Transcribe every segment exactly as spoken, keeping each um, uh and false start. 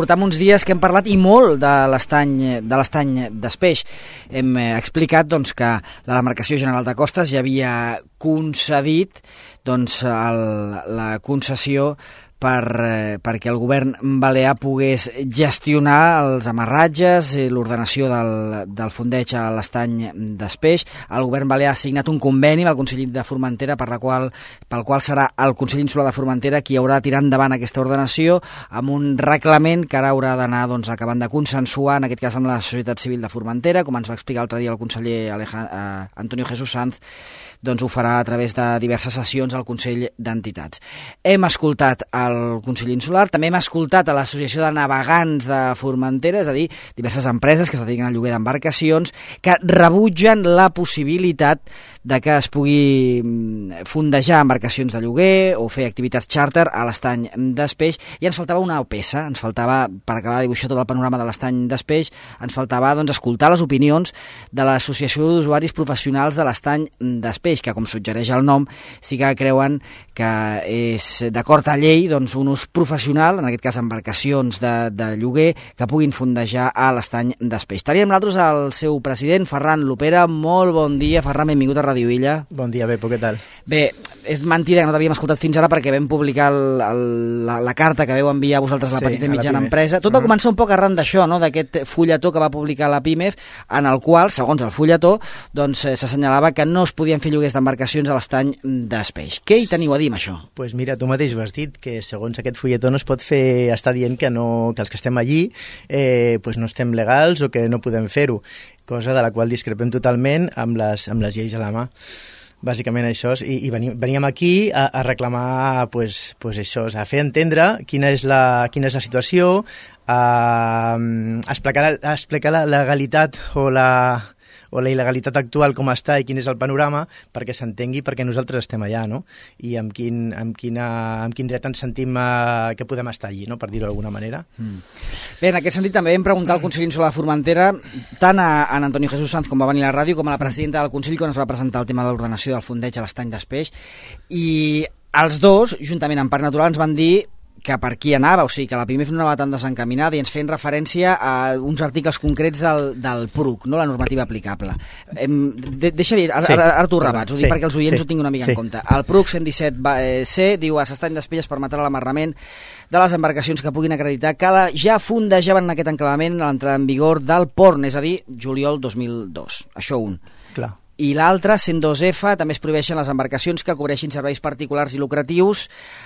portam uns dies que hem parlat i molt de l'estany de l'estany d'Espeix. Hem explicat doncs, que la Demarcació General de Costes ja havia concedit doncs, el, la concessió per, eh, perquè el govern balear pogués gestionar els amarratges i l'ordenació del, del fondeig a l'estany d'Espeix. El govern balear ha signat un conveni amb el Consell de Formentera per la qual, pel qual serà el Consell Insular de Formentera qui haurà de tirar endavant aquesta ordenació amb un reglament que ara haurà d'anar doncs, acabant de consensuar, en aquest cas amb la societat civil de Formentera, com ens va explicar l'altre dia el conseller Alejandro, eh, Antonio Jesús Sanz, doncs ho farà a través de diverses sessions al Consell d'Entitats. Hem escoltat el Consell Insular, també hem escoltat a l'Associació de Navegants de Formentera, és a dir, diverses empreses que es dediquen al lloguer d'embarcacions, que rebutgen la possibilitat de que es pugui fondejar embarcacions de lloguer o fer activitats xàrter a l'estany d'Espeix, i ens faltava una peça, ens faltava, per acabar de dibuixar tot el panorama de l'estany d'Espeix, ens faltava doncs, escoltar les opinions de l'Associació d'Usuaris Professionals de l'estany d'Espeix, que, com suggereix el nom, sí que creuen que és d'acord a llei doncs, un ús professional, en aquest cas embarcacions de, de lloguer, que puguin fondejar a l'estany d'Espeix. Teníem nosaltres el seu president, Ferran Lopera. Molt bon dia, Ferran, benvingut a Radio Illa. Bon dia, Bepo, què tal? Bé, és mentida que no t'havíem escoltat fins ara perquè vam publicar el, el, la, la carta que veu enviar a vosaltres a la sí, petita i mitjana empresa. Tot va uh-huh. començar un poc arran d'això, no? D'aquest fulletó que va publicar la PIMEF, en el qual, segons el fulletó, doncs, s'assenyalava que no es podien fer lloguers d'embarcacions a l'estany d'Espeix. Què hi teniu a dir amb això? Doncs pues mira, tu mateix ho has dit, que segons aquest fulletó no es pot fer, està dient que, no, que els que estem allí eh, pues no estem legals o que no podem fer-ho, cosa de la qual discrepem totalment amb les, amb les lleis a la mà. Bàsicament això, i, i venim, veníem aquí a, a reclamar pues, pues això, a fer entendre quina és la, quina és la situació, a, a explicar, a explicar la legalitat o la... o la il·legalitat actual com està i quin és el panorama perquè s'entengui perquè nosaltres estem allà, no? I amb quin, amb quina, amb quin dret ens sentim uh, que podem estar allí, no? Per dir-ho d'alguna manera. Mm. Bé, en aquest sentit també vam preguntar al Consell Insular de Formentera tant a, a Antonio Jesús Sanz, com va venir a la ràdio, com a la presidenta del Consell quan es va presentar el tema de l'ordenació del fondeig a l'estany d'Espeix, i els dos, juntament amb Parc Natural, ens van dir que per qui anava, o sigui, que la PIMEF no anava tan desencaminada, i ens feien referència a uns articles concrets del, del P R U C, no? La normativa aplicable. Em, de, deixa dir, ara, sí. ara, ara t'ho rebats, ho dic sí. perquè els oients sí. ho tinguin una mica sí. en compte. El P R U C cent disset C diu: a l'estany d'Espeix es permetrà l'amarrament de les embarcacions que puguin acreditar que la, ja fondejaven en aquest enclavament a l'entrada en vigor del P O R N, és a dir, juliol dos mil dos. Això un. Clar. I l'altre, cent dos F, també es prohibeixen les embarcacions que cobreixin serveis particulars i lucratius,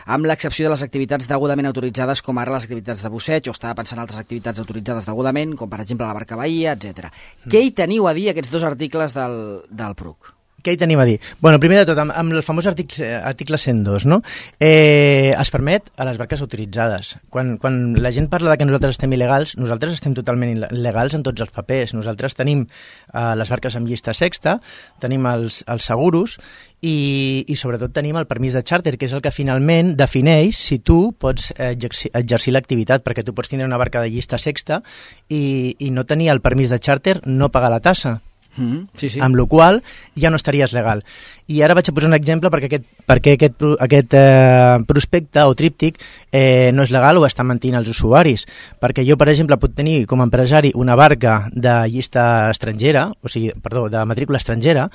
amb l'excepció de les activitats degudament autoritzades, com ara les activitats de busseig, o estava pensant en altres activitats autoritzades degudament, com per exemple la barca bahia, etcètera. Mm. Què hi teniu a dir aquests dos articles del, del P R U C? Què hi tenim a dir? Bueno, primer de tot, amb, amb el famós article, article cent dos, no? Eh, es permet a les barques autoritzades. Quan, quan la gent parla de que nosaltres estem il·legals, nosaltres estem totalment il·legals en tots els papers. Nosaltres tenim eh, les barques amb llista sexta, tenim els, els seguros i, i sobretot tenim el permís de xàrter, que és el que finalment defineix si tu pots exercir, exercir l'activitat, perquè tu pots tenir una barca de llista sexta i, i no tenir el permís de xàrter, no pagar la tassa. Mm, sí, sí. Amb la qual ja no estaries legal. I ara vaig a posar un exemple perquè aquest, perquè aquest, aquest eh, prospecte o tríptic eh, no és legal o està mentint els usuaris. Perquè jo, per exemple, puc tenir com a empresari una barca de llista estrangera, o sigui, perdó, de matrícula estrangera,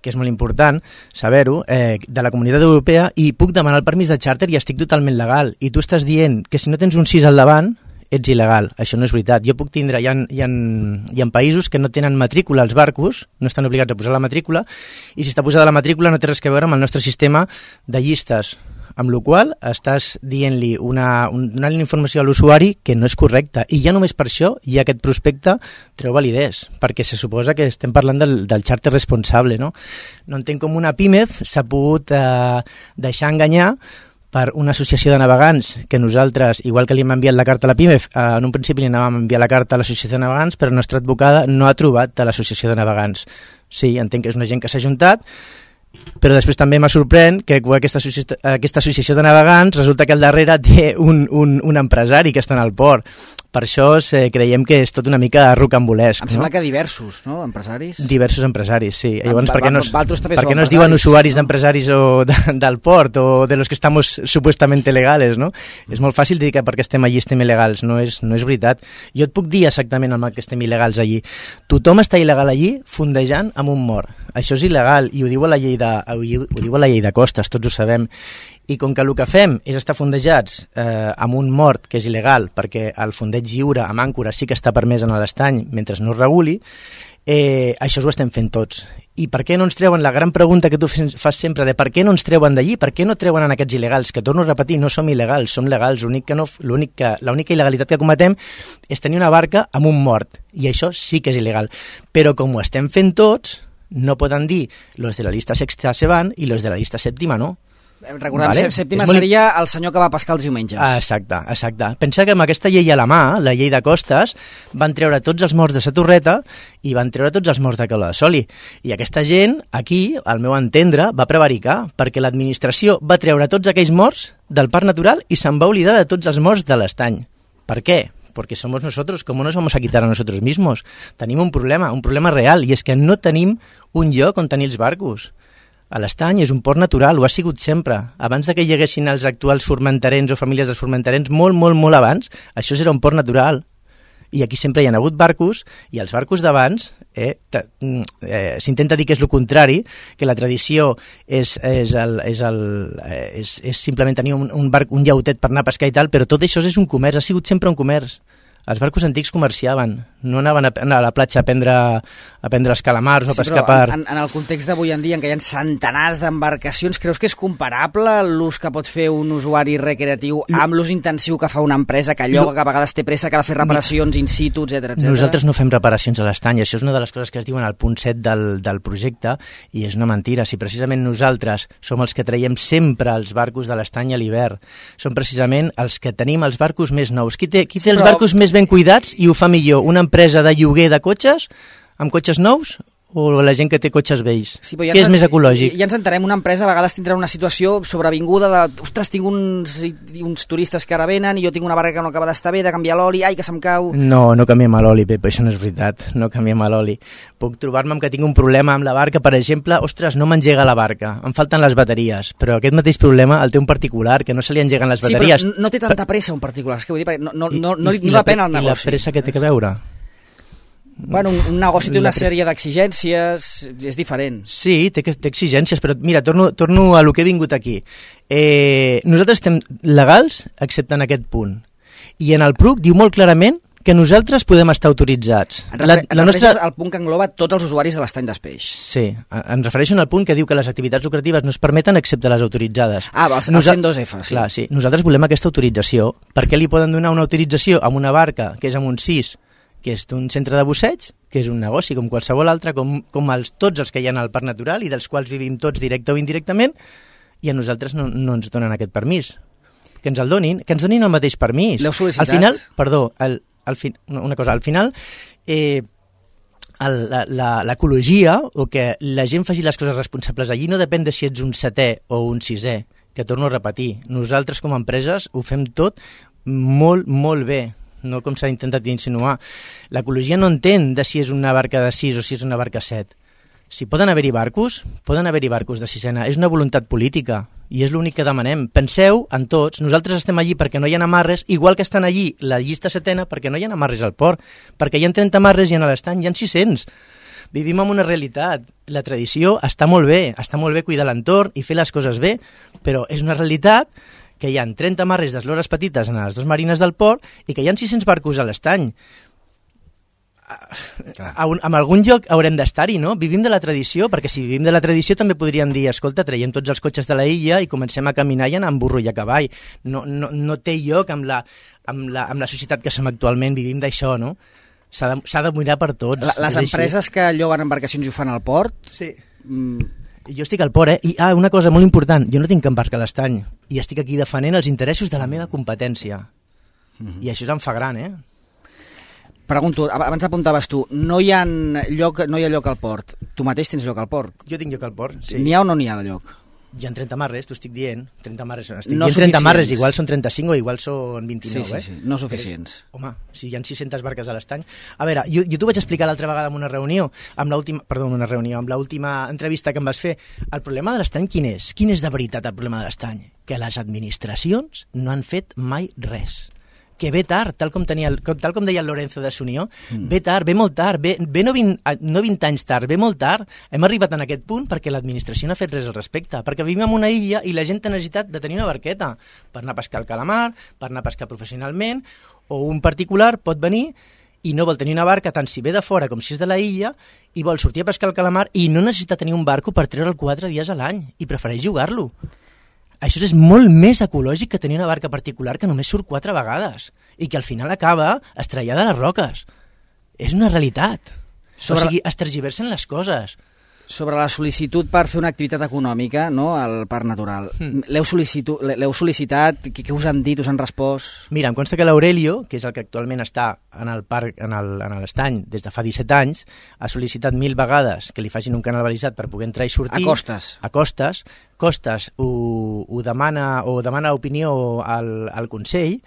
que és molt important saber-ho, eh, de la Comunitat Europea, i puc demanar el permís de xàrter i estic totalment legal. I tu estàs dient que si no tens un sis al davant ets il·legal. Això no és veritat. Jo puc tindre, hi ha, hi ha, hi ha països que no tenen matrícula als barcos, no estan obligats a posar la matrícula, i si està posada la matrícula no té res a veure amb el nostre sistema de llistes, amb la qual estàs dient-li una, una informació a l'usuari que no és correcta. I ja només per això hi ha aquest prospecte treu validesa, perquè se suposa que estem parlant del, del xàrter responsable, no? No entenc com una PIMEF s'ha pogut eh, deixar enganyar per una associació de navegants que nosaltres, igual que li hem enviat la carta a la PIMEF, en un principi li anàvem a enviar la carta a l'associació de navegants, però la nostra advocada no ha trobat a l'associació de navegants. Sí, entenc que és una gent que s'ha juntat, però després també m'ha sorprèn que aquesta, aquesta associació de navegants resulta que al darrere té un, un, un empresari que està en el port. Per això eh, creiem que és tot una mica rocambolesc. Em sembla no? que diversos, no?, empresaris. Diversos empresaris, sí. Llavors, Va, per què no, va, per què no es diuen usuaris no? d'empresaris o de, del port o de los que estamos supuestamente legales, no? Mm. És molt fàcil dir que perquè estem allí estem il·legals, no és, no és veritat. Jo et puc dir exactament el que estem il·legals allí. Tothom està il·legal allí fondejant amb un mort. Això és il·legal i ho diu la llei de, ho diu la llei de costes, tots ho sabem. I com que el que fem és estar fondejats eh, amb un mort, que és il·legal, perquè el fondeig lliure amb àncora sí que està permès en l'estany mentre no es reguli, eh, això ho estem fent tots. I per què no ens treuen, la gran pregunta que tu fas sempre, de per què no ens treuen d'allí, per què no treuen en aquests il·legals, que torno a repetir, no som il·legals, som legals, l'únic que no, l'únic que, l'única il·legalitat que cometem és tenir una barca amb un mort, i això sí que és il·legal. Però com ho estem fent tots, no poden dir los de la llista sexta se van i los de la llista sèptima no. Recordem, vale. Sèptima molt... seria el senyor que va pescar els diumenges. Exacte, exacte. Pensa que amb aquesta llei a la mà, la llei de costes, van treure tots els morts de sa Torreta i van treure tots els morts de Caula de Soli. I aquesta gent, aquí, al meu entendre, va prevaricar, perquè l'administració va treure tots aquells morts del parc natural i se'n va oblidar de tots els morts de l'estany. Per què? Porque somos nosotros, ¿cómo nos vamos a quitar a nosotros mismos? Tenim un problema, un problema real, i és que no tenim un lloc on tenir els barcos. A l'estany és un port natural, ho ha sigut sempre. Abans de que hi haguessin els actuals formenterens o famílies dels formenterens, molt, molt, molt abans, això era un port natural. I aquí sempre hi ha hagut barcos, i els barcos d'abans, eh, eh, s'intenta dir que és el contrari, que la tradició és, és, el, és, el, és, és simplement tenir un, un, barc, un llautet per anar a pescar i tal, però tot això és un comerç, ha sigut sempre un comerç. Els barcos antics comerciaven, no anaven a, a la platja a prendre, a prendre els calamars o a sí, pescar per... En, en el context d'avui en dia, en què hi ha centenars d'embarcacions, creus que és comparable l'ús que pot fer un usuari recreatiu amb l'ús intensiu que fa una empresa que lloga, que a vegades té pressa, que ha de fer reparacions in situ, etcètera, etcètera? Nosaltres no fem reparacions a l'estany, això és una de les coses que es diuen al punt set del, del projecte, i és una mentira. Si precisament nosaltres som els que traiem sempre els barcos de l'estany a l'hivern, som precisament els que tenim els barcos més nous. Qui té, qui té sí, els però... barcos més ben cuidats i ho fa millor? Una empresa de lloguer de cotxes, amb cotxes nous, o la gent que té cotxes vells? Sí, ja què és més ecològic? Ja ens entenem, una empresa a vegades tindrà una situació sobrevinguda de, ostres, tinc uns, uns turistes que ara venen i jo tinc una barca que no acaba d'estar bé, de canviar l'oli, ai, que se'm cau... No, no canviem l'oli, Pep, això no és veritat, no canviem l'oli. Puc trobar-me amb que tinc un problema amb la barca, per exemple, ostres, no m'engega la barca, em falten les bateries, però aquest mateix problema el té un particular, que no se li engeguen les bateries. Sí, però no té tanta pressa un particular, és que vull dir, no, no, no, no, no depèn el negoci. I la pressa que té que veure? Bueno, un, un negoci té una sèrie d'exigències, és diferent. Sí, té, té exigències, però mira, torno, torno a lo que he vingut aquí. Eh, nosaltres estem legals, excepte en aquest punt. I en el P R U C diu molt clarament que nosaltres podem estar autoritzats. Et refer, la, la nostra... al punt que engloba tots els usuaris de l'estany d'Espeix. Sí, em refereixo al punt que diu que les activitats lucratives no es permeten excepte les autoritzades. Ah, el, el cent dos F, sí. Clar, sí. Nosaltres volem aquesta autorització. Per què li poden donar una autorització amb una barca que és amb un sis, que és d'un centre de busseig, que és un negoci com qualsevol altre, com, com els, tots els que hi ha al parc natural i dels quals vivim tots directe o indirectament, i a nosaltres no, no ens donen aquest permís. Que ens el donin, que ens donin el mateix permís. L'heu sol·licitat? Al final, perdó, el, el fi, una cosa, al final, eh, l'ecologia, o que la gent faci les coses responsables allí, no depèn de si ets un setè o un sisè, que torno a repetir. Nosaltres com a empreses ho fem tot molt, molt bé, no com s'ha intentat insinuar. L'ecologia no entén de si és una barca de sis o si és una barca set. Si poden haver-hi barcos, poden haver-hi barcos de sisena. És una voluntat política i és l'únic que demanem. Penseu en tots, nosaltres estem allí perquè no hi ha amarres, igual que estan allí la llista setena perquè no hi ha amarres al port, perquè hi ha trenta amarres i en l'estany hi ha sis-cents. Vivim en una realitat. La tradició està molt bé, està molt bé cuidar l'entorn i fer les coses bé, però és una realitat que hi ha trenta amarres d'eslores petites en les dues marines del port i que hi ha sis-cents barcos a l'estany. En algun lloc haurem d'estar-hi, no? Vivim de la tradició, perquè si vivim de la tradició també podríem dir, escolta, traiem tots els cotxes de la illa i comencem a caminar i anar amb burro i a cavall. No, no, no té lloc amb la, amb, la, amb la societat que som actualment, vivim d'això, no? S'ha de, s'ha de mirar per tots. La, les empreses que lloguen embarcacions i ho fan al port... Sí. Mm, jo estic al port, eh? I ah, una cosa molt important, jo no tinc cap barca a l'estany i estic aquí defendent els interessos de la meva competència. Mm-hmm. I això em fa gran, eh? Pregunto, abans apuntaves tu, no hi ha lloc, no hi ha lloc al port. Tu mateix tens lloc al port? Jo tinc lloc al port, sí. N'hi ha o no n'hi ha de lloc? Hi ha trenta marres, t'ho estic dient. trenta marres, estic no dient trenta marres, igual són trenta-cinc o igual són vint-i-nou, sí, sí, sí. eh? No suficients. Però, home, si hi ha sis-centes barques a l'estany... A veure, jo, jo t'ho vaig explicar l'altra vegada en una reunió, amb l'última, perdó, en una reunió, amb l'última entrevista que em vas fer. El problema de l'estany quin és? Quin és de veritat el problema de l'estany? Que les administracions no han fet mai res. Que ve tard, tal com, tenia, tal com deia el Lorenzo de Sunió, mm. ve tard, ve molt tard, ve, ve no, vint, no vint anys tard, ve molt tard. Hem arribat en aquest punt perquè l'administració no ha fet res al respecte, perquè vivim en una illa i la gent té necessitat de tenir una barqueta per anar a pescar el calamar, per anar a pescar professionalment, o un particular pot venir i no vol tenir una barca tant si ve de fora com si és de la illa i vol sortir a pescar el calamar i no necessita tenir un barco per treure'l quatre dies a l'any i prefereix jugar-lo. Això és molt més ecològic que tenir una barca particular que només surt quatre vegades i que al final acaba estrellada a les roques. És una realitat. Sobre... O sigui, es tergiversen les coses. Sobre la sol·licitud per fer una activitat econòmica, no?, al Parc Natural. Mm. L'heu sol·licitat? Què us han dit? Us han respost? Mira, em consta que l'Aurelio, que és el que actualment està en el parc, en l'estany des de fa disset anys, ha sol·licitat mil vegades que li facin un canal balisat per poder entrar i sortir. A costes. A costes. Costes ho, ho demana o demana opinió al, al Consell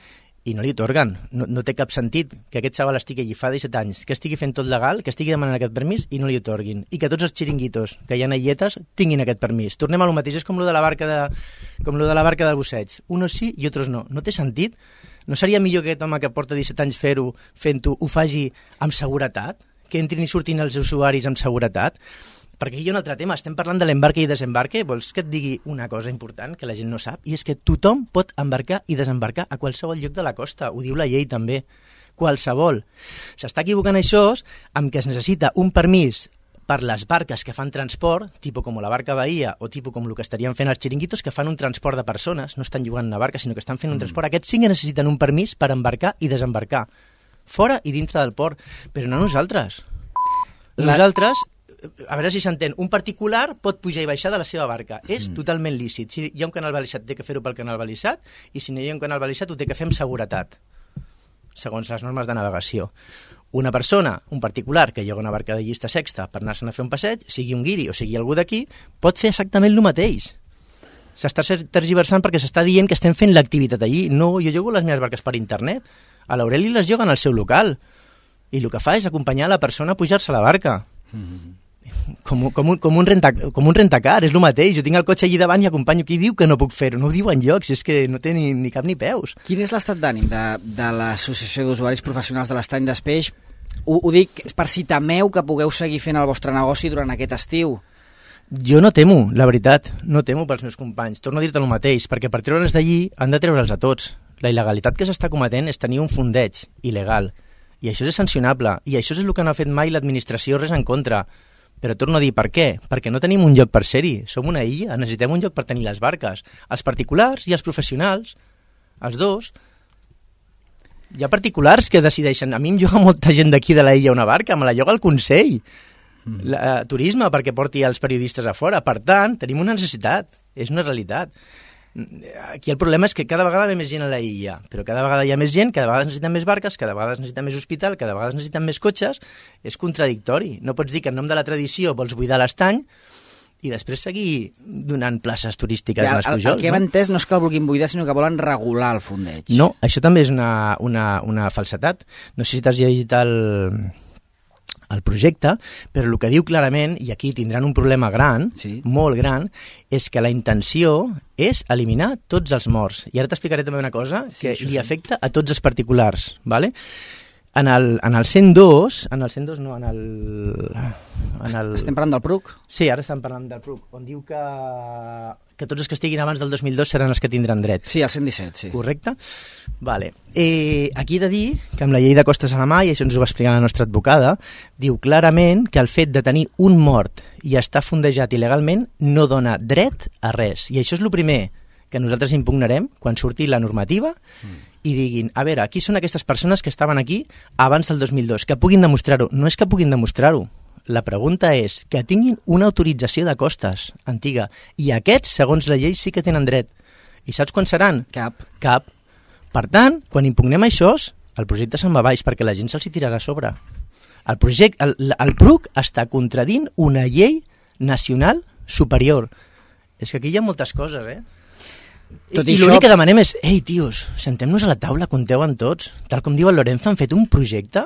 i no li atorguen. No, no té cap sentit que aquest xaval estigui allí fa disset anys, que estigui fent tot legal, que estigui demanant aquest permís i no li atorguin. I que tots els xiringuitos que hi ha illetes tinguin aquest permís. Tornem a lo mateix, és com lo de la barca de, com lo de la barca del busseig. Unos sí i altres no. No té sentit? No seria millor que aquest home que porta disset anys fer-ho, fent-ho, ho faci amb seguretat? Que entrin i surtin els usuaris amb seguretat? Perquè aquí hi ha un altre tema, estem parlant de l'embarque i desembarque, vols que et digui una cosa important que la gent no sap? I és que tothom pot embarcar i desembarcar a qualsevol lloc de la costa, ho diu la llei també, qualsevol. S'està equivocant això amb que es necessita un permís per les barques que fan transport, tipus com la barca Bahia o tipus com el que estarien fent els xiringuitos, que fan un transport de persones, no estan jugant una barca, sinó que estan fent un transport. Aquests sí que necessiten un permís per embarcar i desembarcar, fora i dintre del port, però no nosaltres. Nosaltres... A veure si s'entén, un particular pot pujar i baixar de la seva barca. És mm. totalment lícit. Si hi ha un canal balisat, té que fer-ho pel canal balisat, i si no hi ha un canal balisat, ho té que fer amb seguretat, segons les normes de navegació. Una persona, un particular, que lloga una barca de llista sexta per anar-se'n a fer un passeig, sigui un guiri o sigui algú d'aquí, pot fer exactament el mateix. S'està tergiversant perquè s'està dient que estem fent l'activitat allí. No, jo llogo les meves barques per internet. A l'Aureli les lloguen al seu local. I el que fa és acompanyar la persona a pujar-se a la barca. Mm-hmm. Com, com, un, com, un renta, com un rentacar, és el mateix. Jo tinc el cotxe allí davant i acompanyo. Qui diu que no puc fer-ho? No ho diu enlloc, si és que no té ni, ni cap ni peus. Quin és l'estat d'ànim de, de l'Associació d'Usuaris Professionals de l'Estany d'Espeix? Ho, ho dic per si temeu que pugueu seguir fent el vostre negoci durant aquest estiu. Jo no temo, la veritat, no temo pels meus companys. Torno a dir-te el mateix, perquè per treure'ls d'allí han de treure'ls a tots. La il·legalitat que s'està cometent és tenir un fondeig il·legal. I això és sancionable. I això és el que no ha fet mai l'administració, res en contra. Però torno a dir, per què? Perquè no tenim un lloc per ser-hi. Som una illa, necessitem un lloc per tenir les barques. Els particulars i els professionals, els dos. Hi ha particulars que decideixen... A mi em lloga molta gent d'aquí de la illa una barca, me la lloga el Consell. Mm. La, uh, turisme, perquè porti els periodistes a fora. Per tant, tenim una necessitat. És una realitat. Aquí el problema és que cada vegada ve més gent a la illa, però cada vegada hi ha més gent, cada vegada necessiten més barques, cada vegada necessiten més hospital, cada vegada necessiten més cotxes. És contradictori. No pots dir que en nom de la tradició vols buidar l'estany i després seguir donant places turístiques ja, als pujols. El, el que hem no? entès no és que el vulguin buidar, sinó que volen regular el fondeig. No, això també és una, una, una falsetat. No sé si t'has llegit el... el projecte, però el que diu clarament, i aquí tindran un problema gran, sí. molt gran, és que la intenció és eliminar tots els morts. I ara t'explicaré també una cosa sí, que li sí. afecta a tots els particulars, ¿vale? En el, en el cent dos, en el cent dos no, en el... En el... Estem parlant del P R U C? Sí, ara estem parlant del P R U C, on diu que, que tots els que estiguin abans del dos mil dos seran els que tindran dret. Sí, el cent disset, sí. Correcte? Vale. Eh, aquí he de dir que amb la llei de costes a la mà, i això ens ho va explicar la nostra advocada, diu clarament que el fet de tenir un mort i estar fondejat il·legalment no dona dret a res. I això és el primer que nosaltres impugnarem quan surti la normativa mm. i diguin, a veure, qui són aquestes persones que estaven aquí abans del dos mil dos? Que puguin demostrar-ho. No és que puguin demostrar-ho. La pregunta és que tinguin una autorització de costes antiga. I aquests, segons la llei, sí que tenen dret. I saps quan seran? Cap. Cap. Per tant, quan impugnem això, el projecte se'n va baix perquè la gent se'ls tirarà a sobre. El, projecte, el, el P R U C està contradint una llei nacional superior. És que aquí hi ha moltes coses, eh? Tot I, i això... l'únic que demanem és, ei, tios, sentem-nos a la taula, compteu amb tots. Tal com diu el Lorenzo, han fet un projecte,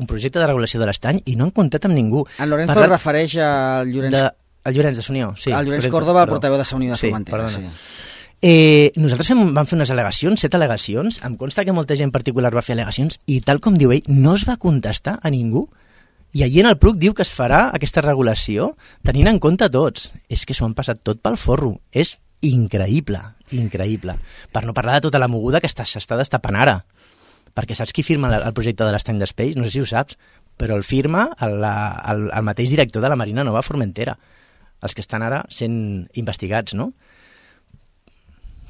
un projecte de regulació de l'estany i no han comptat amb ningú. En Lorenzo Parla... es refereix al Llorenç... De... El Llorenç de Sunió, sí. El Llorenç Lorenzo, Córdoba, el perdó. portaveu de Sa Unió de sí, Formentera. Sí. Eh, nosaltres hem, vam fer unes al·legacions, set al·legacions, em consta que molta gent particular va fer al·legacions i tal com diu ell, no es va contestar a ningú. I allí en el P R U C diu que es farà aquesta regulació tenint en compte tots. És que s'ho han passat tot pel forro. És increïble, increïble. Per no parlar de tota la moguda que s'està destapant ara. Perquè saps qui firma el projecte de l'estany d'Espeix? No sé si ho saps, però el firma el, el, el mateix director de la Marina Nova Formentera. Els que estan ara sent investigats, no?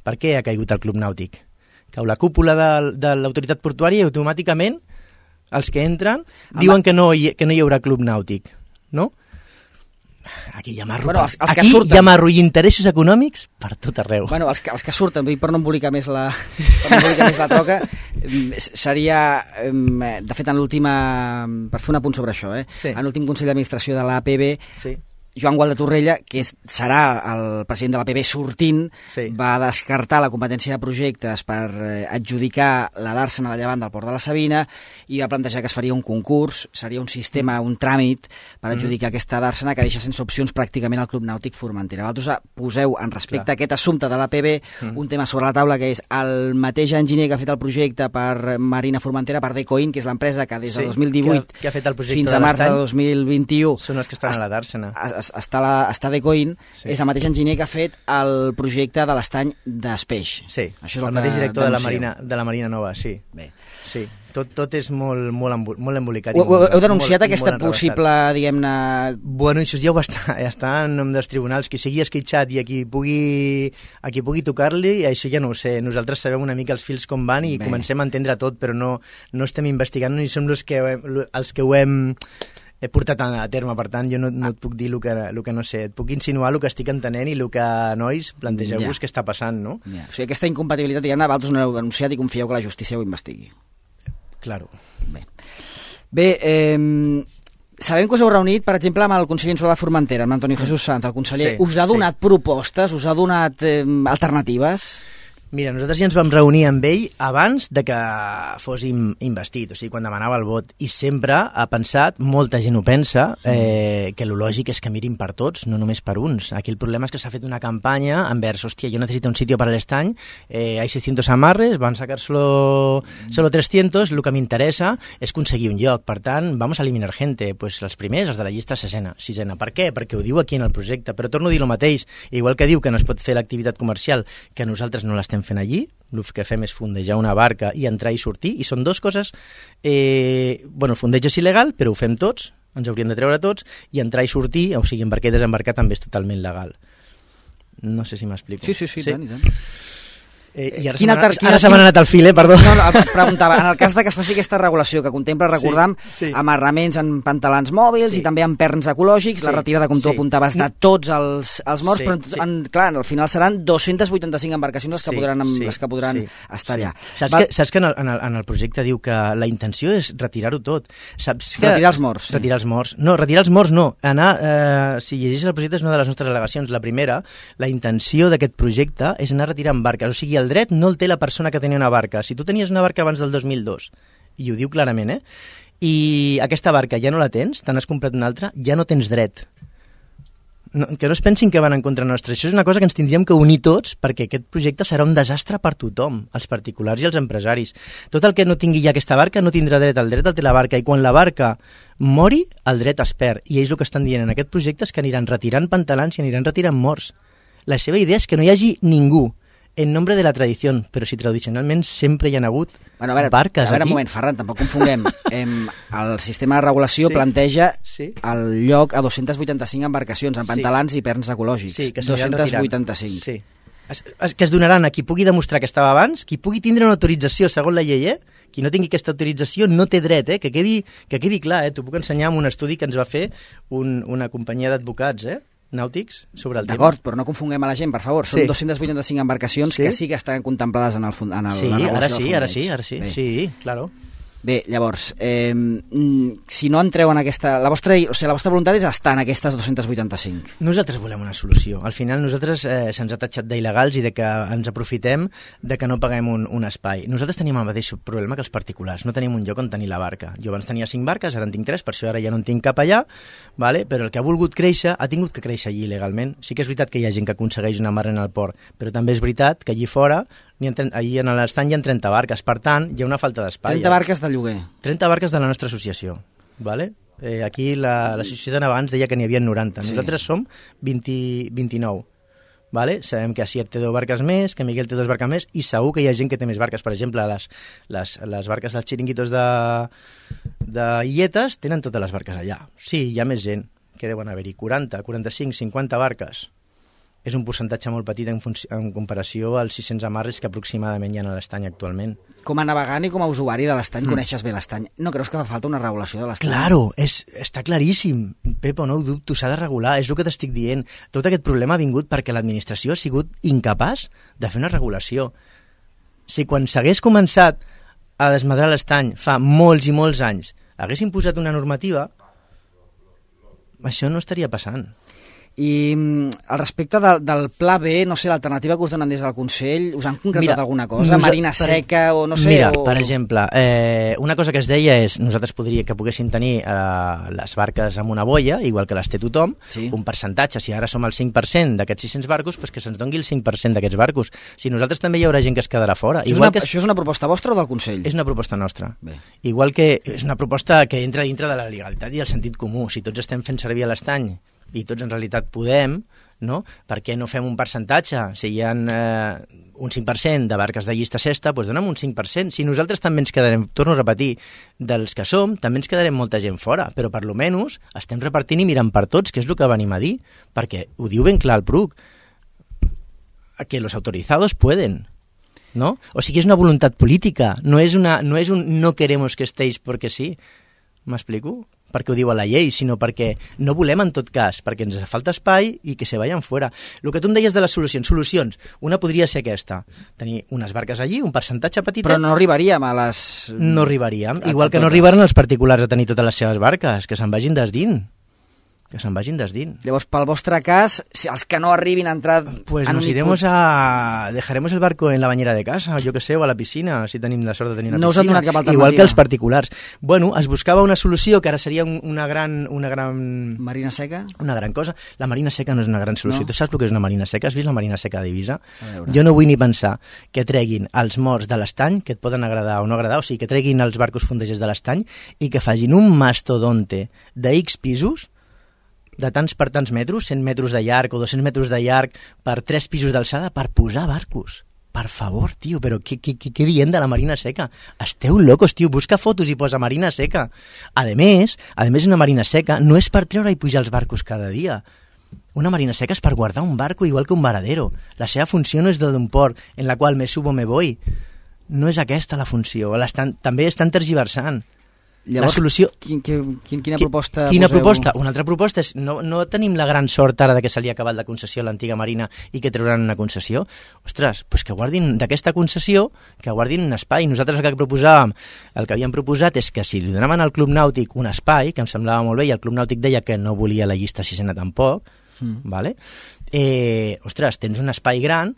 Per què ha caigut el Club Nàutic? Cau la cúpula de, de l'autoritat portuària i automàticament els que entren diuen que no, hi, que no hi haurà Club Nàutic, no? Aquí hi ha marro, bueno, els, els aquí surten... hi ha marro i interessos econòmics per tot arreu. Bueno, els, que, els que surten, per no embolicar més la, per no embolicar més la troca, seria, de fet, en l'última, per fer un apunt sobre això, eh? Sí. En l'últim Consell d'Administració de l'A P B, sí. Joan Gual de Torrella, que és, serà el president de l'A P B sortint, sí. va descartar la competència de projectes per eh, adjudicar la dàrsena de llevant del Port de la Sabina i va plantejar que es faria un concurs, seria un sistema, un tràmit per adjudicar mm. aquesta dàrsena que deixa sense opcions pràcticament el Club Nàutic Formentera. Vosaltres poseu en respecte Clar. a aquest assumpte de l'A P B mm. un tema sobre la taula que és el mateix enginyer que ha fet el projecte per Marina Formentera, per Decoin, que és l'empresa que des de sí, dos mil divuit que, que ha fet el fins a març de dos mil vint-i-u són els que estan a la dàrsena. està, la, està Decoin, sí. és el mateix enginyer que ha fet el projecte de l'estany d'Espeix. Sí, Això és el, el mateix director de la, Marina, de la Marina Nova, sí. Bé. Sí. Tot, tot és molt, molt, embol, molt embolicat. Ho, molt, heu denunciat molt, aquesta molt possible, diguem-ne... Bueno, això ja ho està, ja està en nom dels tribunals, qui sigui esquitxat i a qui pugui, a qui pugui tocar-li, això ja no ho sé. Nosaltres sabem una mica els fils com van i Bé. comencem a entendre tot, però no, no estem investigant ni som els que, els que ho hem... he portat a terme, per tant, jo no, no et puc dir el que, el que no sé, et puc insinuar el que estic entenent i el que, nois, plantegeu-vos ja. què està passant, no? Ja. O sigui, aquesta incompatibilitat, diguem-ne, vosaltres no l'heu denunciat i confieu que la justícia ho investigui. Claro. Bé, Bé eh, sabem que us heu reunit, per exemple, amb el conseller insular de Formentera, amb Antonio Jesús Sanz, el conseller. Sí, us ha donat sí. propostes, us ha donat eh, alternatives? Mira, nosaltres ja ens vam reunir amb ell abans de que fóssim investit, o sigui, quan demanava el vot, i sempre ha pensat, molta gent ho pensa, eh, que el lògic és que mirin per tots, no només per uns. Aquí el problema és que s'ha fet una campanya envers, hòstia, jo necessito un sitio para el estany, eh, hay seiscientos amarres, van sacar solo, solo trescientos, el que m'interessa és aconseguir un lloc, per tant, vamos a eliminar gente, pues els primers, els de la llista sisena. sisena. Per què? Perquè ho diu aquí en el projecte, però torno a dir el mateix, igual que diu que no es pot fer l'activitat comercial, que nosaltres no l'estem fent allí, el que fem és fondejar una barca i entrar i sortir, i són dues coses, eh, bueno, el fondeig és il·legal, però ho fem tots, ens hauríem de treure tots, i entrar i sortir, o sigui, embarcar i desembarcar també és totalment legal. No sé si m'explico. Sí, sí, sí, sí? Tant, i tant. Eh, I ara se m'ha anat al fil, eh? Perdó. No, no, preguntava, en el cas de que es faci aquesta regulació que contempla, recordam, sí, sí. amarraments en pantalans mòbils sí. i també en perns ecològics, sí. la retirada, com tu sí. apuntaves, de tots els, els morts, sí. però sí. en, clar, al final seran dos-cents vuitanta-cinc embarcacions les que sí. podran, sí. les que podran sí. estar allà. Sí. Saps, Va... que, saps que en el, en, el, en el projecte diu que la intenció és retirar-ho tot. Saps que... Retirar els morts. Sí. Retirar els morts. No, retirar els morts no. Anar, eh, si llegeixes el projecte és una de les nostres al·legacions. La primera, la intenció d'aquest projecte és anar retirant barques. O sigui, el dret no el té la persona que tenia una barca. Si tu tenies una barca abans del dos mil dos, i ho diu clarament, eh? I aquesta barca ja no la tens, te n'has comprat una altra, ja no tens dret. No, que no es pensin que van en contra nostra. Això és una cosa que ens tindríem que unir tots, perquè aquest projecte serà un desastre per tothom, els particulars i els empresaris. Tot el que no tingui ja aquesta barca no tindrà dret. El dret el té la barca, i quan la barca mori, el dret es perd. I ells el que estan dient en aquest projecte és que aniran retirant pantalans i aniran retirant morts. La seva idea és que no hi hagi ningú en nombre de la tradició, però si tradicionalment sempre hi ha hagut bueno, a veure, barques a veure, aquí. Un moment, Ferran, tampoc confonguem. Em, el sistema de regulació sí. planteja sí. el lloc a dos-cents vuitanta-cinc embarcacions amb pantalans sí. i perns ecològics. Sí, que dos-cents vuitanta-cinc. Sí. Es, es, que es donaran a qui pugui demostrar que estava abans, qui pugui tindre una autorització segons la llei, eh? Qui no tingui aquesta autorització no té dret, eh? que, quedi, que quedi clar. Eh? T'ho puc ensenyar amb un estudi que ens va fer un, una companyia d'advocats, eh? nàutics sobre el tema. D'acord, però no confonguem a la gent, per favor. Són sí. dos-cents vuitanta-cinc embarcacions sí. que sí que estan contemplades en el, en el sí, la ara sí, ara sí, ara sí, Bé. sí, claro. Bé, llavors, eh, si no entreu en aquesta... La vostra, o sigui, la vostra voluntat és estar en aquestes dos-cents vuitanta-cinc. Nosaltres volem una solució. Al final nosaltres eh, se'ns ha tatxat d'il·legals i de que ens aprofitem de que no paguem un, un espai. Nosaltres tenim el mateix problema que els particulars. No tenim un lloc on tenir la barca. Jo abans tenia cinc barques, ara en tinc tres, per això ara ja no en tinc cap allà, vale? Però el que ha volgut créixer ha tingut que créixer allí il·legalment. Sí que és veritat que hi ha gent que aconsegueix una mar en el port, però també és veritat que allí fora, allí en l'estany hi ha trenta barques, per tant, hi ha una falta d'espai. trenta barques de lloguer. trenta barques de la nostra associació, vale? Eh, aquí l'associació la, abans deia que n'hi havia noranta, sí. Nosaltres som vint, vint-i-nou, vale? Sabem que Asier té dues barques més, que Miguel té dues barques més, i segur que hi ha gent que té més barques. Per exemple, les, les, les barques dels xiringuitos de, de Illetes tenen totes les barques allà. Sí, hi ha més gent, que deuen haver-hi quaranta, quaranta-cinc, cinquanta barques. És un percentatge molt petit en, en comparació als sis-cents amarres que aproximadament hi ha a l'estany actualment. Com a navegant i com a usuari de l'estany, mm. coneixes bé l'estany. No creus que fa falta una regulació de l'estany? Claro, és, està claríssim. Pepo, no ho dubto, s'ha de regular, és el que t'estic dient. Tot aquest problema ha vingut perquè l'administració ha sigut incapaç de fer una regulació. Si quan s'hagués començat a desmadrar l'estany fa molts i molts anys haguessin posat una normativa, això no estaria passant. I al respecte del, del Pla B, no sé, l'alternativa que us donen des del Consell, us han concretat mira, alguna cosa? Marina per, seca o no sé? Mira, o... per exemple, eh, una cosa que es deia és nosaltres podríem que poguéssim tenir eh, les barques amb una boia, igual que les té tothom, sí. Un percentatge, si ara som el cinc per cent d'aquests sis-cents barcos, pues que se'ns doni el cinc per cent d'aquests barcos. Si nosaltres també hi haurà gent que es quedarà fora. Això, igual és, una, que es... això és una proposta vostra o del Consell? És una proposta nostra. Bé. Igual que és una proposta que entra dintre de la legalitat i el sentit comú. Si tots estem fent servir a l'estany i tots en realitat podem, no? Per què no fem un percentatge? Si hi ha eh, un cinc per cent de barques de llista sexta, doncs dona'm un cinc per cent. Si nosaltres també ens quedarem, torno a repetir, dels que som, també ens quedarem molta gent fora, però per lo menys estem repartint i mirant per tots, que és el que venim a dir, perquè ho diu ben clar el P R U C, que los autorizados pueden, ¿no? O sigui, és una voluntat política, no és, una, no és un no queremos que estéis porque sí. M'explico? Perquè ho diu a la llei, sinó perquè no volem en tot cas, perquè ens falta espai i que se vayan fora. El que tu em deies de les solucions, solucions, una podria ser aquesta, tenir unes barques allí, un percentatge petit... Però no arribaríem a les... No arribaríem, igual que no arribaran els particulars a tenir totes les seves barques, que se'n vagin des dins. Que se'n vagin des dins. Llavors, pel vostre cas, si els que no arribin a entrar... Pues nos iremos a... Dejaremos el barco en la bañera de casa, jo que sé, o a la piscina, si tenim la sort de tenir una no piscina. No us han donat cap alternativa. Igual que els particulars. Bueno, es buscava una solució que ara seria una gran... Una gran... Marina seca? Una gran cosa. La marina seca no és una gran solució. No. Tu saps el que és una marina seca? Has vist la marina seca d'Eivissa? Jo no vull ni pensar que treguin els morts de l'estany, que et poden agradar o no agradar, o sigui, que treguin els barcos fondejers de l'estany i que facin un mastodonte de X pisos de tants per tants metres, cent metres de llarg o dos-cents metres de llarg per tres pisos d'alçada per posar barcos. Per favor, tio, però què, què, què diem de la marina seca? Esteu locos, tio, busca fotos i posa marina seca. A més, a més una marina seca no és per treure i pujar els barcos cada dia. Una marina seca és per guardar un barco igual que un varadero. La seva funció no és la d'un port en la qual me subo me voy. No és aquesta la funció. L'estan, també estan tergiversant. Llavors, la solució... Quin, quin, quina proposta Quina poseu? proposta? Una altra proposta és no, no tenim la gran sort ara de que se li ha acabat la concessió a l'antiga Marina i que trauran una concessió. Ostres, doncs que guardin d'aquesta concessió, que guardin un espai. Nosaltres el que proposàvem, el que havíem proposat és que si li donaven al Club Nàutic un espai, que em semblava molt bé, i el Club Nàutic deia que no volia la llista sisena tampoc, mm. vale? eh, ostres, tens un espai gran,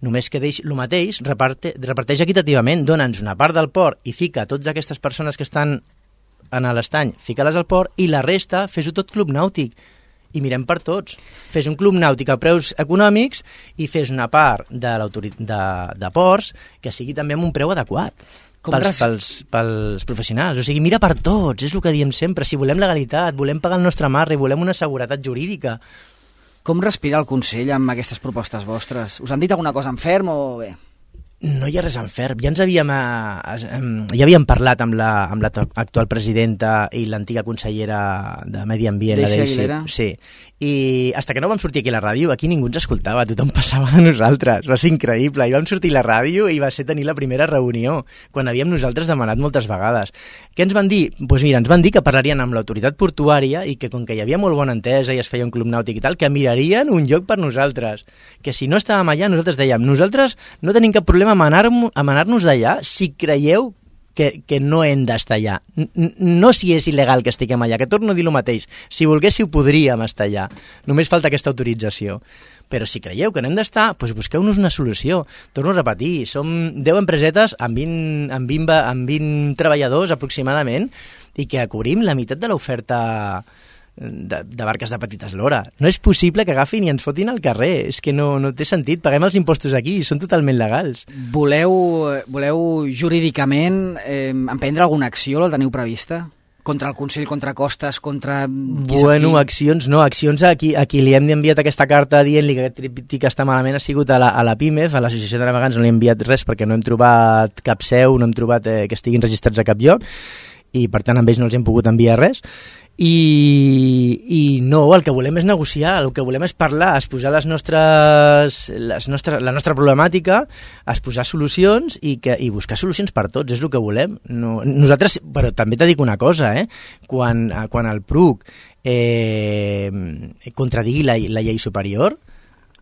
només que deix el mateix, reparte, reparteix equitativament, dona'ns una part del port i fica a totes aquestes persones que estan en l'estany, fica-les al port i la resta fes-ho tot club nàutic i mirem per tots. Fes un club nàutic a preus econòmics i fes una part de, de, de ports que sigui també amb un preu adequat pels, res... pels, pels professionals. O sigui, mira per tots, és el que diem sempre. Si volem legalitat, volem pagar el nostre marre i volem una seguretat jurídica. Com respira el Consell amb aquestes propostes vostres? Us han dit alguna cosa en ferm o bé? No hi ha res en ferm. Ja ens havíem, eh, ja havíem parlat amb la, amb la actual presidenta i l'antiga consellera de Medi Ambient, Daisy la Daisy. Aguilera. Sí. I fins que no vam sortir aquí a la ràdio, aquí ningú ens escoltava, tothom passava de nosaltres. Va ser increïble. I vam sortir a la ràdio i va ser tenir la primera reunió, quan havíem nosaltres demanat moltes vegades. Què ens van dir? Doncs pues mira, ens van dir que parlarien amb l'autoritat portuària i que com que hi havia molt bona entesa i es feia un club nàutic i tal, que mirarien un lloc per nosaltres. Que si no estàvem allà, nosaltres dèiem, nosaltres no tenim cap problema a manar-nos d'allà si creieu que, que no hem d'estar allà. No si és il·legal que estiguem allà, que torno a dir el mateix. Si volguéssiu, podríem estar allà. Només falta aquesta autorització. Però si creieu que no hem d'estar, doncs busqueu-nos una solució. Torno a repetir, som deu empresetes amb vint, amb vint, amb vint treballadors aproximadament i que cobrim la meitat de l'oferta de, de barques de petita eslora. No és possible que agafin i ens fotin al carrer. És que no, no té sentit. Paguem els impostos aquí, són totalment legals. Voleu, voleu jurídicament eh, emprendre alguna acció? La teniu prevista? Contra el Consell, contra Costes, contra... Bueno, accions no, accions a qui, a qui li hem enviat aquesta carta dient-li que aquest tríptic està malament ha sigut a la, a la PIMEF, a l'Associació de Navegants no li hem enviat res perquè no hem trobat cap seu, no hem trobat eh, que estiguin registrats a cap lloc i per tant amb ells no els hem pogut enviar res. I, i no, el que volem és negociar, el que volem és parlar, exposar les nostres, les nostres, la nostra problemàtica, exposar solucions i, que, i buscar solucions per tots, és el que volem. No, nosaltres, però també t'he dit una cosa, eh? quan, quan el P R U C eh, contradigui la, la llei superior,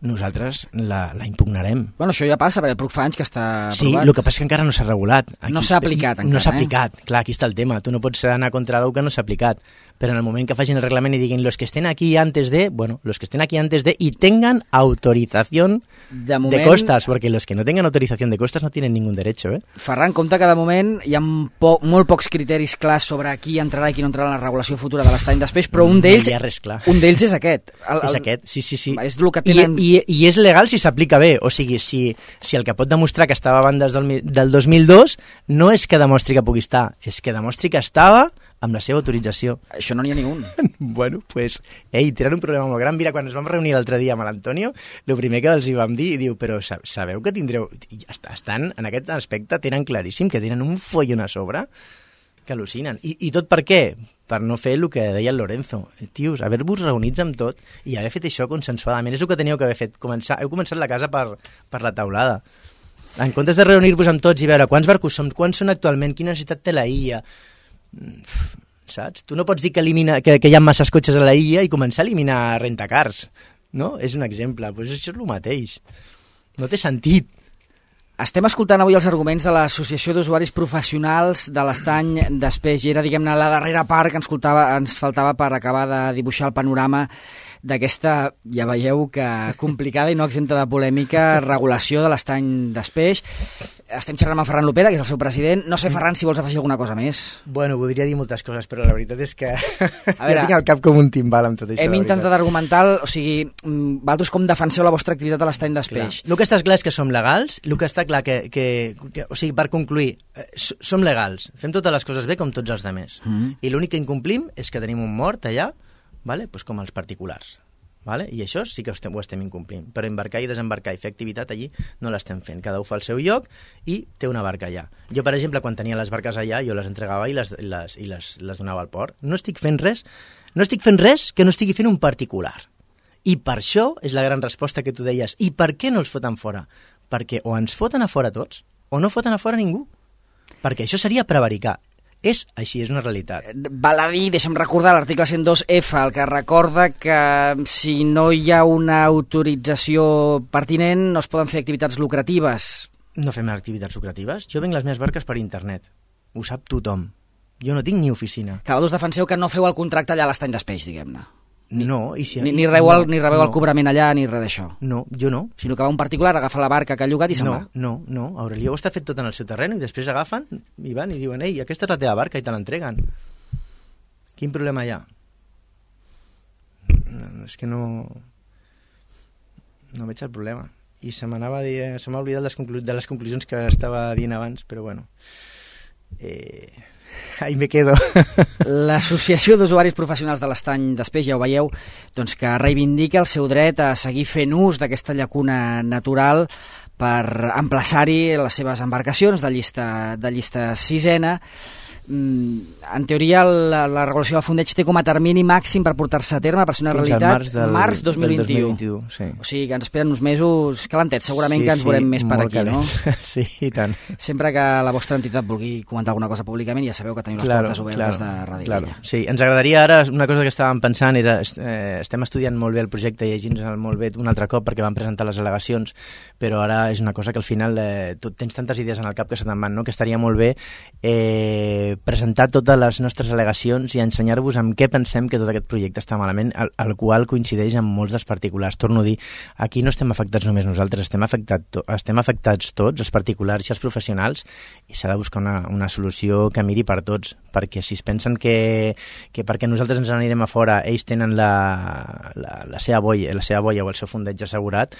nosaltres la, la impugnarem. Bueno, això ja passa, perquè el P R U C fa anys que està aprovat. Sí, el que passa és que encara no s'ha regulat. Aquí, no s'ha aplicat encara, No s'ha aplicat, eh? Clar, aquí està el tema. Tu no pots anar contra d'algú que no s'ha aplicat. Però en el moment que facin el reglament i diguin los que estén aquí antes de, bueno, los que estén aquí antes de y tengan autorización de, moment, de costas, porque los que no tengan autorización de costas no tienen ningún derecho, eh? Ferran, compte que de moment hi ha po molt pocs criteris clars sobre qui entrarà i qui no entrarà en la regulació futura de l'estany d'espeix, però un d'ells no un d'ells és aquest. El, el, és aquest, sí, sí, sí. És el que tenen... I, i, I és legal si s'aplica bé, o sigui, si, si el que pot demostrar que estava abans del, del dos mil dos no és que demostri que pugui estar, és que demostri que estava amb la seva autorització. Això no n'hi ha ni un. Bueno, pues, ei, tenen un problema molt gran. Mira, quan ens vam reunir l'altre dia amb l'Antonio, el primer que els hi vam dir, diu, però sabeu que tindreu... Estan, en aquest aspecte, tenen claríssim que tenen un follon a sobre que al·lucinen. I, I tot per què? Per no fer el que deia el Lorenzo. Tios, haver-vos reunits amb tot i haver fet això consensuadament. És el que teníeu que haver fet. Començar, heu començat la casa per, per la taulada. En comptes de reunir-vos amb tots i veure quants barcos som, quants són actualment, quina necessitat té la illa... Saps? Tu no pots dir que, elimina, que, que hi ha masses cotxes a la illa i començar a eliminar rentacars, no? És un exemple, doncs això és el mateix. No té sentit. Estem escoltant avui els arguments de l'Associació d'Usuaris Professionals de l'Estany d'Espeix i era, diguem-ne, la darrera part que ens, ens faltava per acabar de dibuixar el panorama d'aquesta, ja veieu que complicada i no exempta de polèmica, regulació de l'Estany d'Espeix. Estem xerrant amb Ferran Lopera, que és el seu president. No sé, Ferran, si vols afegir alguna cosa més. Bueno, voldria dir moltes coses, però la veritat és que a veure, ja tinc el cap com un timbal amb tot això. Hem intentat argumentar, o sigui, vosaltres com defenseu la vostra activitat a l'Estany d'Espeix? El que està clar és que som legals, el que està clar que, que, que o sigui, per concluir, som legals, fem totes les coses bé com tots els altres. Mm. I l'únic que incomplim és que tenim un mort allà, vale? Pues com els particulars. Vale? I això sí que ho estem, ho estem incomplint. Però embarcar i desembarcar i fer activitat allí no l'estem fent. Cada un fa el seu lloc i té una barca allà. Jo, per exemple, quan tenia les barques allà, jo les entregava i les, les, i les, les donava al port. No estic fent res, no estic fent res que no estigui fent un particular. I per això és la gran resposta que tu deies. I per què no els foten fora? Perquè o ens foten a fora tots o no foten a fora ningú. Perquè això seria prevaricar. És així, és una realitat. Val a dir, deixa'm recordar l'article cent dos efa, el que recorda que si no hi ha una autorització pertinent no es poden fer activitats lucratives. No fem activitats lucratives? Jo venc les meves barques per internet. Ho sap tothom. Jo no tinc ni oficina. Que vosaltres defenseu que no feu el contracte allà a l'Estany d'Espeix, diguem-ne. No, i si... Ni, ni rebeu, el, ni rebeu no. el cobrament allà, ni res d'això. No, jo no. Sinó que va un particular, agafa la barca que ha llogat i se'n no, va. No, no, Aurelió ho està fet tot en el seu terreny i després agafen i van i diuen, ei, aquesta és la teva barca i te l'entreguen. Quin problema hi ha? No, és que no... No veig el problema. I se m'anava a dir... Se m'ha oblidat les conclu... de les conclusions que estava dient abans, però bueno... Eh... Ahí me quedo. L'Associació d'Usuaris Professionals de l'Estany d'Espeix, ja ho veieu, doncs que reivindica el seu dret a seguir fent ús d'aquesta llacuna natural per emplaçar-hi les seves embarcacions de llista, de llista sisena en teoria la, la regulació del fondeig té com a termini màxim per portar-se a terme, per ser una Fins realitat, març, del, març dos mil vint-u. dos mil vint-u sí. O sigui que ens esperen uns mesos calentets, segurament sí, que ens sí, veurem més per aquí, calents. no? Sí, i tant. Sempre que la vostra entitat vulgui comentar alguna cosa públicament, ja sabeu que teniu les claro, portes obertes claro, de Ràdio claro. Vella. Sí, ens agradaria ara, una cosa que estàvem pensant era, eh, estem estudiant molt bé el projecte i llegint-nos molt bé un altre cop perquè vam presentar les al·legacions, però ara és una cosa que al final eh, tu tens tantes idees en el cap que se te'n van, no? Que estaria molt bé eh, presentar totes les nostres al·legacions i ensenyar-vos amb què pensem que tot aquest projecte està malament, el, el qual coincideix amb molts dels particulars. Torno a dir, aquí no estem afectats només nosaltres, estem, afectat to estem afectats tots, els particulars i els professionals, i s'ha de buscar una, una solució que miri per tots, perquè si es pensen que, que perquè nosaltres ens n'anirem a fora ells tenen la, la, la, seva boia, la seva boia o el seu fondeig assegurat,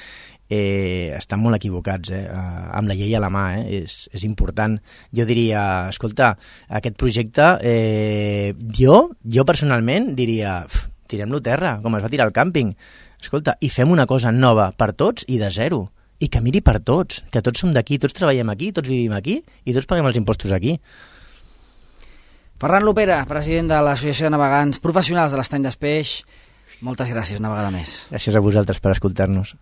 Eh, estan molt equivocats, eh? eh, amb la llei a la mà, eh? és, és important. Jo diria, escolta, aquest projecte, eh, jo, jo personalment diria, tirem-lo a terra, com es va tirar al càmping, escolta, i fem una cosa nova per tots i de zero, i que miri per tots, que tots som d'aquí, tots treballem aquí, tots vivim aquí, i tots paguem els impostos aquí. Ferran Lopera, president de l'Associació de Navegants Professionals de l'Estany d'Espeix, moltes gràcies una vegada més. Gràcies a vosaltres per escoltar-nos.